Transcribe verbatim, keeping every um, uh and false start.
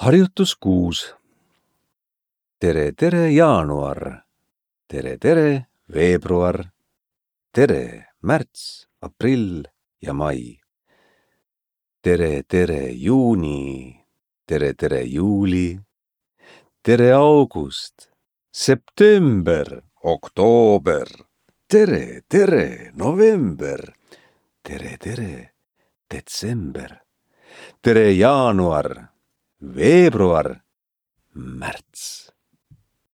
Harjutus kuus. Tere, tere, jaanuar. Tere, tere, veebruar. Tere, märts, aprill ja mai. Tere, tere, juuni. Tere, tere, juuli. Tere, august. September, oktoober. Tere, tere, november. Tere, tere, detsember. Tere, jaanuar, veebruar, märts.